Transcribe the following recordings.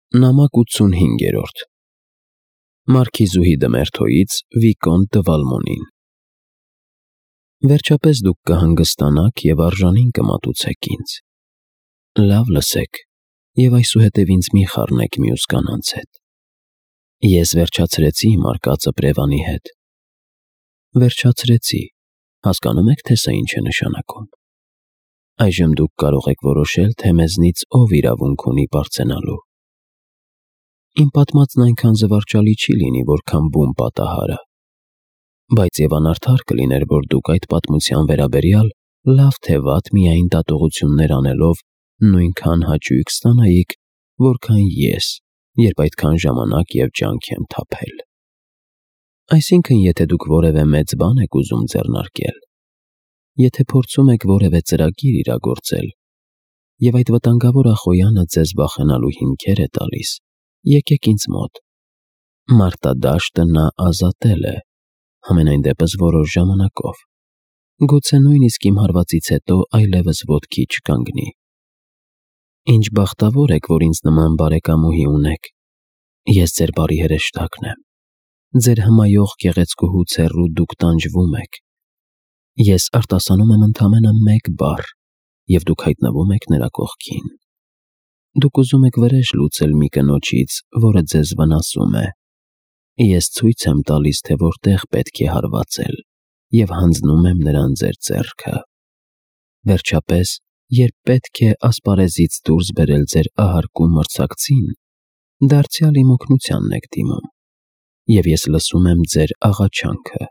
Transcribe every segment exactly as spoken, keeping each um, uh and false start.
Նամակ ութսունհինգերորդ Մարքիզուհի Դմերթոյից Վիկոնտ դը Վալմոնին Վերջապես դուք կհանգստանաք և արժանին կմատուցեք ինձ։ Լավ լսեք և այսուհետև ինձ մի խառնեք մյուս կանանց հետ։ Ես վերջացրեցի իմ արկածը Պրևանի հետ։ Վերջացրեցի, հասկանում եք, թե սա ինչ է նշանակում։ Այժմ դուք կարող եք որոշել, թե մեզնից ով իրավունք ունի պարծենալու։ Իմ պատմածն այնքան զվարճալի չի լինի, որքան բուն պատահարը, բայց և անարդար կլիներ, որ դուք այդ պատմության վերաբերյալ լավ թե վատ միայն դատողություններ անելով նույնքան հաճույք ստանայիք, որքան ես, երբ այդքան ժամանակ և ջանք եմ թափել։ Այսինքն, եթե դուք որևէ մեծ բան եք ուզում ձեռնարկել, եթե փորձում եք որևէ ծրագիր իրագործել, և այդ վտանգավոր ախոյանը ձեզ վախենալու հիմքեր է տալիս, եկեք ինձ մոտ։ Մարտադաշտը նա ազատել է, համենայն դեպս որոշ ժամանակով, գուցե նույնիսկ իմ հարվածից հետո այլևս ոտքի չկանգնի։ Ինչ բախտավոր եք, որ ինձ նման բարեկամուհի ունեք։ Ես ձեր բարի հրեշտակն եմ։ Ձեր հմայող գեղեցկուհուց հեռու դուք տանջվում եք։ Ես արտասանում եմ ընդամենը մեկ բառ, և դուք հայտնվում եք նրա կողքին։ Դուք ուզում եք վրեժ լուծել մի կնոջից, որը ձեզ վնասում է։ Ես ցույց եմ տալիս, թե որտեղ պետք է հարվածել, և հանձնում եմ նրան ձեր ձեռքը։ Վերջապես, երբ պետք է ասպարեզից դուրս բերել ձեր ահարկու մրցակցին, դարձյալ իմ օգնությանն եք դիմում, և ես լսում եմ ձեր աղաչանքը։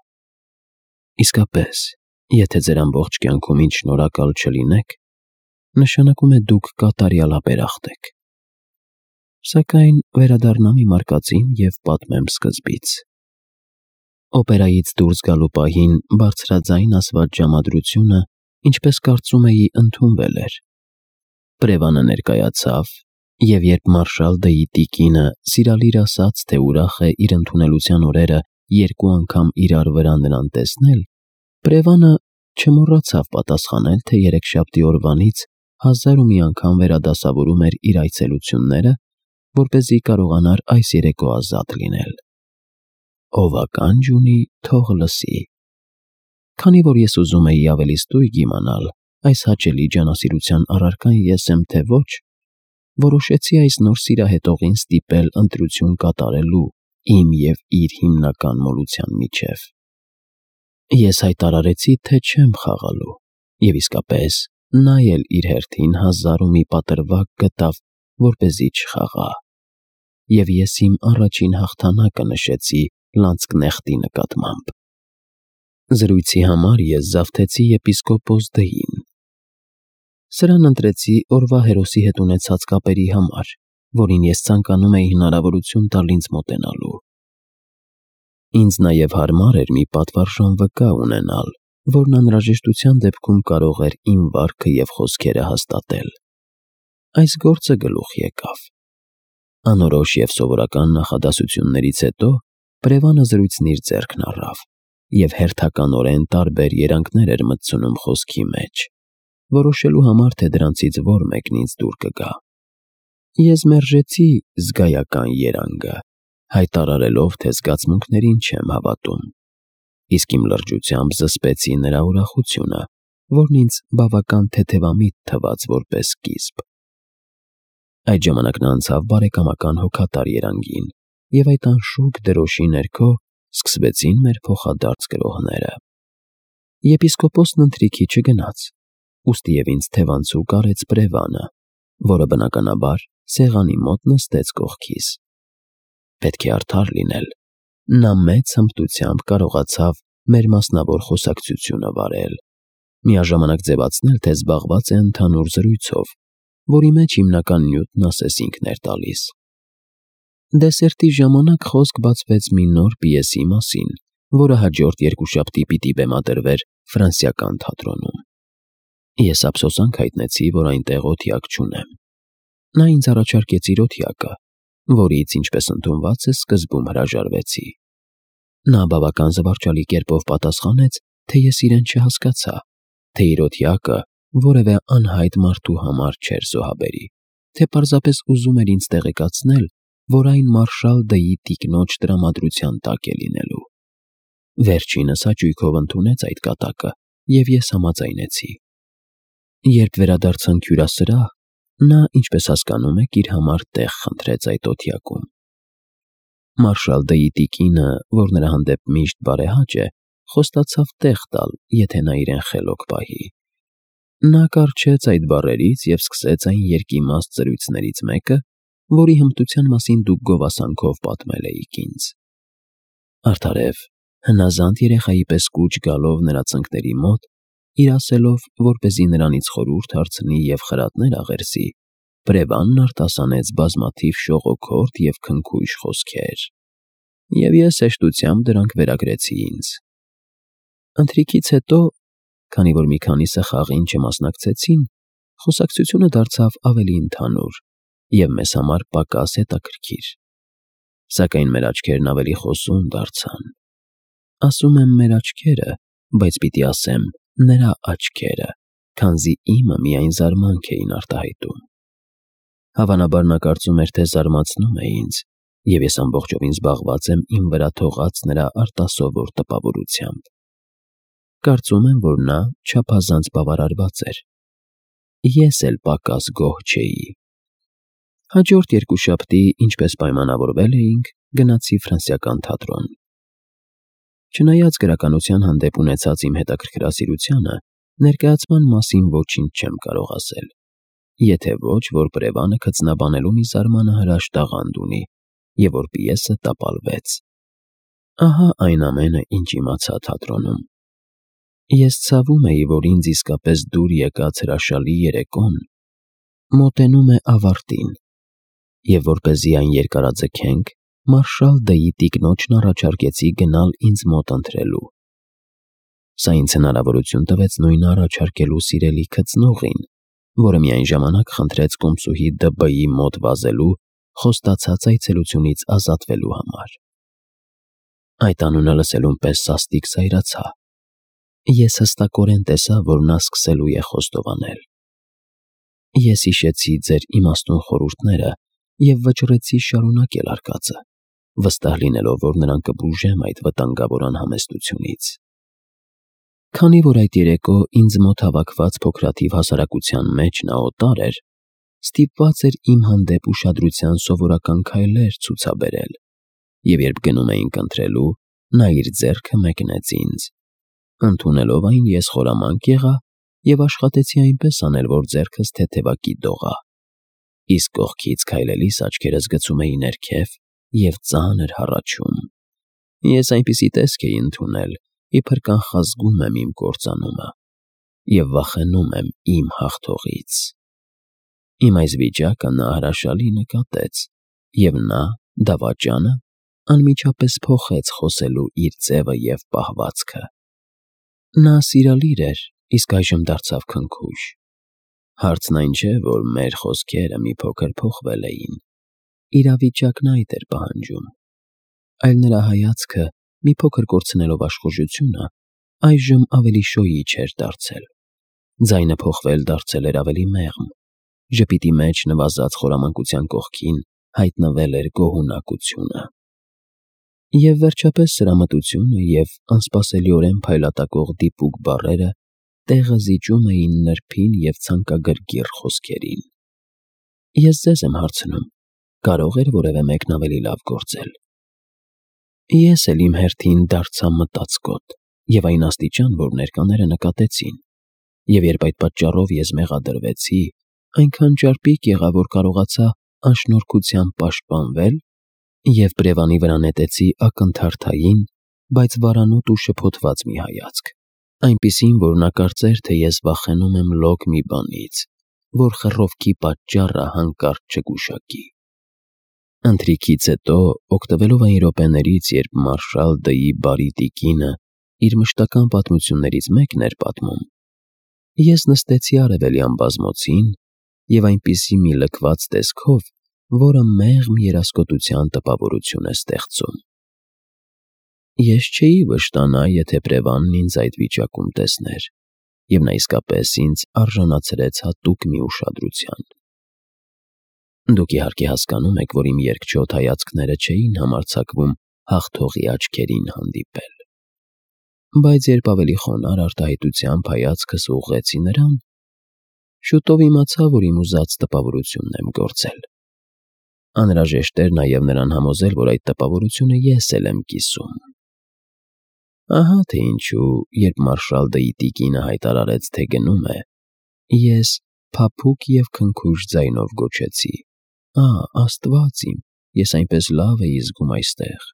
Իսկապես, եթե ձեր ամբողջ կյանքում ինձ շնորհակալ չլինեք, նշանակում է դուք կատարյալ ապերախտ եք։ Սակայն վերադառնամ իմ արկածին և պատմեմ սկզբից։ Օպերայից դուրս գալու պահին բարձրաձայն ասված ժամադրությունը, ինչպես կարծում էի, ընդունվել էր։ Պրևանը ներկայացավ, և երբ մարշալ Դ'ի տիկինը սիրալիր ասաց, թե ուրախ է իր ընդունելության օրերը երկու անգամ իրար վրա նրան տեսնել, Պրևանը չմոռացավ պատասխանել, թե երեքշաբթի օրվանից հազար ու մի անգամ վերադասավորում էր իր այցելությունները, որպեսզի կարողանար այս երեկո ազատ լինել։ Ով ականջ ունի, թող լսի։ Քանի որ ես ուզում էի ավելի ստույգ իմանալ, այս հաճելի ջանասիրության առարկան ես եմ, թե ոչ, որոշեցի այս նոր սիրահետողին ստիպել ընտրություն կատարելու իմ և իր հիմնական մոլության միջև։ Ես հայտարարեցի, թե չեմ խաղալու, և իսկապես, նա էլ իր հերթին հազար ու մի պատրվակ գտավ, որպեսզի չխաղա։ Եվ ես իմ առաջին հաղթանակը նշեցի լանցկնեխտի նկատմամբ։ Զրույցի համար ես զավթեցի եպիսկոպոս Դ'ին։ Սրան ընտրեցի օրվա հերոսի հետ ունեցած կապերի համար, որին ես ցանկանում էի հնարավորություն տալ ինձ մոտենալու։ Ինձ նաև հարմար էր մի պատվարժան վկա ունենալ, որն անհրաժեշտության դեպքում կարող էր իմ վարքը և խոսքերը հաստատել։ Այս գործը գլուխ եկավ։ Անորոշ և սովորական նախադասություններից հետո Պրևանը զրույցն իր ձեռքն առավ և հերթականորեն տարբեր երանգներ էր մտցնում խոսքի մեջ, որոշելու համար, թե դրանցից որ մեկն ինձ դուր կգա։ Ես մերժեցի զգայական երանգը, հայտարարելով, թե զգացմունքներին չեմ հավատում, իսկ իմ լրջությամբ զսպեցի նրա ուրախությունը, որն ինձ բավական թեթևամիտ թվաց որպես սկիզբ։ Այդ ժամանակ նա անցավ բարեկամական հոգատար երանգին, և այդ անշուք դրոշի ներքո սկսվեցին մեր փոխադարձ գրոհները։ Եպիսկոպոսն ընթրիքի չգնաց, ուստի և ինձ թևանցուկ արեց Պրևանը, որը բնականաբար սեղանի մոտ նստեց կողքիս։ Պետք է արդար լինել, նա մեծ հմտությամբ կարողացավ մեր մասնավոր խոսակցությունը վարել, միաժամանակ ձևացնել, թե զբաղված է ընդհանուր զրույցով, որի մեջ հիմնական նյութն ասես ինքն էր տալիս։ Դեսերտի ժամանակ խոսք բացվեց մի նոր պիեսի մասին, որը հաջորդ երկուշաբթի պիտի բեմադրվեր Ֆրանսիական թատրոնում։ Ես ափսոսանք հայտնեցի, որ այնտեղ օթյակ չունեմ։ Նա ինձ առաջարկեց իր օթյակը, որից, ինչպես ընդունված է, սկզբում հրաժարվեցի։ Նա բավական զվարճալի կերպով պատասխանեց, թե ես իրեն չհասկացա, թե իր օթյակը որևէ անհայտ մարդու համար չէր զոհաբերի, թե պարզապես ուզում էր ինձ տեղեկացնել, որ այն մարշալ Դ'ի տիկնոջ տրամադրության տակ է լինելու։ Վերջինս հաճույքով ընդունեց այդ կատակը, և ես համաձայնեցի։ Երբ վերադարձանք հյուրասրահ, նա, ինչպես հասկանում եք, իր համար տեղ խնդրեց այդ օթյակում։ Մարշալ Դ'ի տիկինը, որ նրա հանդեպ միշտ բարեհաճ է, խոստացավ տեղ տալ, եթե նա իրեն խելոք պահի։ Նա կառչեց այդ բառերից և սկսեց այն երկիմաստ զրույցներից մեկը, որի հմտության մասին դուք գովասանքով պատմել էիք ինձ։ Արդարև, հնազանդ երեխայի պես կուչ գալով նրա ծնկների մոտ, իր ասելով, որպեսզի նրանից խորհուրդ հարցնի և խրատներ աղերսի, Բրևանն արտասանեց բազմաթիվ շողոքորթ և քնքուշ խոսքեր, և ես հեշտությամբ դրանք վերագրեցի ինձ։ Ընթրիքից հետո, քանի որ մի քանիսը խաղին չմասնակցեցին, խոսակցությունը դարձավ ավելի ընդհանուր և մեզ համար պակաս հետաքրքիր։ Սակայն մեր աչքերն ավելի խոսուն դարձան։ Ասում եմ մեր աչքերը, բայց պիտի ասեմ նրա աչքերը, քանզի իմը միայն զարմանք էին արտահայտում։ Հավանաբար նա կարծում էր, թե զարմացնում է ինձ, և ես ամբողջովին զբաղված եմ իմ վրա թողած նրա արտասովոր տպավորությամբ։ Կարծում եմ, որ նա չափազանց բավարարված էր։ Ես էլ պակաս գոհ չէի։ Հաջորդ երկուշաբթի, ինչպես պայմանավորվել էինք, գնացի ֆրանսիական թատրոն։ Չնայած գրականության հանդեպ ունեցած իմ հետաքրքրասիրությանը, ներկայացման մասին ոչինչ չեմ կարող ասել, եթե ոչ, որ Բրևանը քծնաբանելու մի զարմանահրաշ տաղանդ ունի և որ պիեսը տապալվեց։ Ահա այն ամենը, ինչ իմացա թատրոնում։ Ես ցավում էի, որ ինձ իսկապես դուր եկած հրաշալի երեկոն մոտենում է ավարտին, և որպեսզի այն երկարաձգենք, մարշալ Դ'ի տիկնոջն առաջարկեցի գնալ ինձ մոտ ընթրելու։ Սա ինձ հնարավորություն տվեց նույնը առաջարկելու սիրելի քծնողին, որը միայն ժամանակ խնդրեց կոմսուհի Դ.Բ.-ի մոտ վազելու խոստացած այցելությունից ազատվելու համար։ Այդ անունը լսելուն պես սաստիկ զայրացա։ Ես հստակորեն տեսա, որ նա սկսելու է խոստովանել։ Ես հիշեցի ձեր իմաստուն խորհուրդները և վճռեցի շարունակել արկածը, վստահ լինելով, որ նրան կբուժեմ այդ վտանգավոր անհամեստությունից։ Քանի որ այդ երեկո ինձ մոտ հավաքված փոքրաթիվ հասարակության մեջ նա օտար էր, ստիպված էր իմ հանդեպ ուշադրության սովորական քայլեր ցուցաբերել, և երբ գնում էինք ընթրելու, նա իր ձեռքը մեկնեց ինձ։ Ընդունելով այն, ես խորամանկ եղա և աշխատեցի այնպես անել, որ ձեռքս թեթևակի դողա, իսկ կողքից քայլելիս աչքերս գցում էի ներքև և ծանր հառաչում։ Ես այնպիսի տեսք էի ընդունել, իբր կանխազգում եմ իմ կործանումը և վախենում եմ իմ հաղթողից։ Իմ այս վիճակը նա հրաշալի նկատեց, և նա, դավաճանը, անմիջապես փոխեց խոսելու իր ձևը և պահվածքը։ Նա սիրալիր էր, իսկ այժմ դարձավ քնքուշ։ Հարցն այն չէ, որ մեր խոսքերը մի փոքր փոխվել էին, իրավիճակն այդ էր պահանջում, այլ նրա հայացքը, մի փոքր կորցնելով աշխուժությունը, այժմ ավելի շոյիչ էր դարձել։ Ձայնը փոխվել դարձել էր ավելի մեղմ, ժպիտի մեջ նվազած խորամանկության կողքին հայտնվել էր գոհունակությունը։ Եվ վերջապես սրամտությունը և անսպասելիորեն փայլատակող դիպուկ բառերը տեղը զիջում էին նրբին և ցանկագրգիռ խոսքերին։ Ես ձեզ եմ հարցնում. կարո՞ղ էր որևէ մեկն ավելի լավ գործել։ Ես էլ իմ հերթին դարձա մտածկոտ և այն աստիճան, որ ներկաները նկատեցին, և երբ այդ պատճառով ես մեղադրվեցի, այնքան ճարպիկ եղա, որ կարողացա անշնորհքությամբ պաշտպանվել և Բրևանի վրա նետեցի ակնթարթային, բայց վարանոտ ու շփոթված մի հայացք, այնպիսին, որ նա կարծեր, թե ես վախենում եմ լոկ մի բանից, որ խռովքի պատճառը հանկարծ չգուշակի։ Ընթրիքից հետո, օգտվելով այն րոպեներից, երբ մարշալ Դ'ի բարի տիկինը իր մշտական պատմություններից մեկն էր պատմում, ես նստեցի արևելյան բազմոցին և այնպիսի մի լքված տեսքով, որը մեղմ երասկոտության տպավորություն է ստեղծում։ Ես չէի վշտանա, եթե Բրևանն ինձ այդ վիճակում տեսներ, և նա իսկապես ինձ արժանացրեց հատուկ մի ուշադրության։ Դուք իհարկե հասկանում եք, որ իմ երկչոտ հայացքները չէին համարձակվում հաղթողի աչքերին հանդիպել։ Բայց երբ ավելի խոնարհ արտահայտությամբ հայացքս ուղղեցի նրան, շուտով իմացա, որ իմ ուզած տպավորությունն եմ գործել։ Անհրաժեշտ էր նաև նրան համոզել, որ այդ տպավորությունը ես էլ եմ կիսում։ Ահա թե ինչու, երբ Մարշալ դը տիկինը հայտարարեց, թե գնում է, ես փափուկ և քնքուշ ձայնով գոչեցի. «Ա՜, Աստված իմ, ես այնպես լավ էի զգում այստեղ»։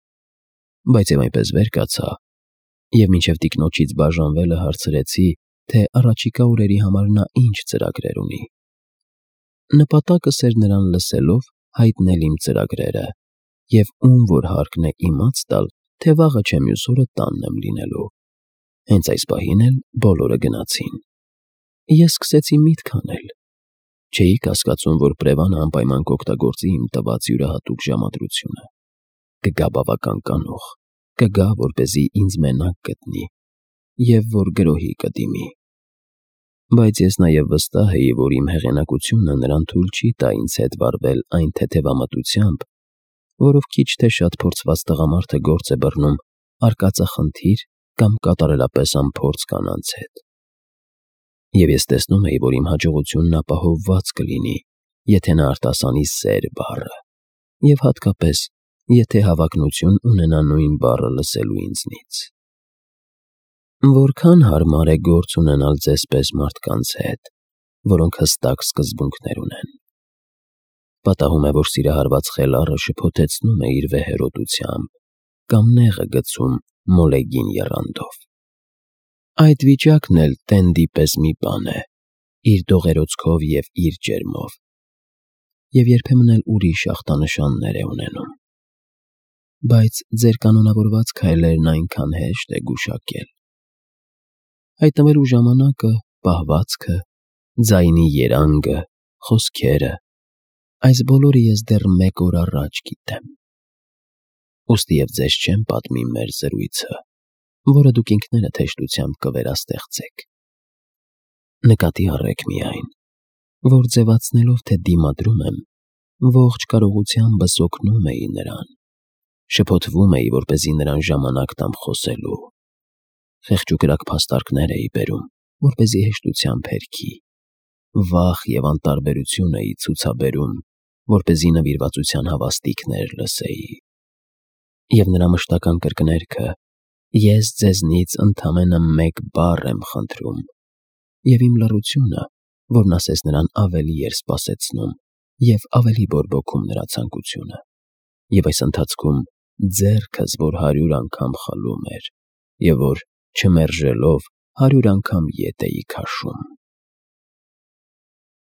Բայց և այնպես վեր կացա, և մինչև տիկնոջից բաժանվելը հարցրեցի, թե առաջիկա օրերի համար նա ինչ ծրագրեր ունի։ Նպատակս էր նրան լսելով հայտնել իմ ծրագրերը և ում որ հարկն է իմաց տալ, թե վաղը չէ մյուս օրը տանն եմ լինելու։ Հենց այս պահին էլ բոլորը գնացին։ Ես սկսեցի միտք անել։ Չէի կասկածում, որ Պրևանը անպայման կօգտագործի իմ տված յուրահատուկ ժամադրությունը։ Կգա բավական կանուխ, կգա, որպեսզի ինձ մենակ գտնի և որ գրոհի կդիմի։ Բայց ես նաև վստահ էի, որ իմ հեղինակությունը նրան թույլ չի տա ինձ հետ վարվել այն թեթևամտությամբ, որով քիչ թե շատ փորձված տղամարդը գործ է բռնում արկածախնդիր կամ կատարելապես անփորձ կանանց հետ։ Եվ ես տեսնում էի, որ իմ հաջողությունն ապահովված կլինի, եթե նա արտասանի սեր բառը, և հատկապես, եթե հավակնություն ունենա նույն բառը լսելու ինձնից։ Որքան հարմար է գործ ունենալ ձեզ պես մարդկանց հետ, որոնք հստակ սկզբունքներ ունեն։ Պատահում է, որ սիրահարված խելառը շփոթեցնում է իր վեհերոտությամբ կամ նեղը գցում մոլեգին եռանդով։ Այդ վիճակն էլ տենդի պես մի բան է, իր դողերոցքով և իր ջերմով, և երբեմն էլ ուրիշ ախտանշաններ է ունենում։ Բայց ձեր կանոնավորված քայլերն այնքան հեշտ է գուշակել։ Հայտնվելու ժամանակը, պահվածքը, ձայնի երանգը, խոսքերը, այս բոլորը ես դեռ մեկ օր առաջ գիտեմ։ Ուստի և ձեզ չեմ պատմի մեր զրույցը, որը դուք ինքներդ հեշտությամբ կվերաստեղծեք։ Նկատի առեք միայն, որ ձևացնելով, թե դիմադրում եմ, ողջ կարողությանս օգնում էի նրան, շփոթվում էի, որպեսզի նրան ժամանակ տամ խոսելու, խեղճուկրակ փաստարկներ էի բերում, որպեսզի հեշտությամբ հերքի, վախ և անտարբերություն էի ցուցաբերում, որպեսզի նվիրվածության հավաստիքներ լսեի։ Եվ նրա մշտական կրկներքը. «Ես ձեզնից ընդամենը մեկ բառ եմ խնդրում», և իմ լռությունը, որն ասես նրան ավելի էր սպասեցնում և ավելի բորբոքում նրա ցանկությունը, և այս ընթացքում ձեռքս, որ հարյուր անգամ խլում էր, և որ, չմերժելով, հարյուր անգամ ետ էի քաշում։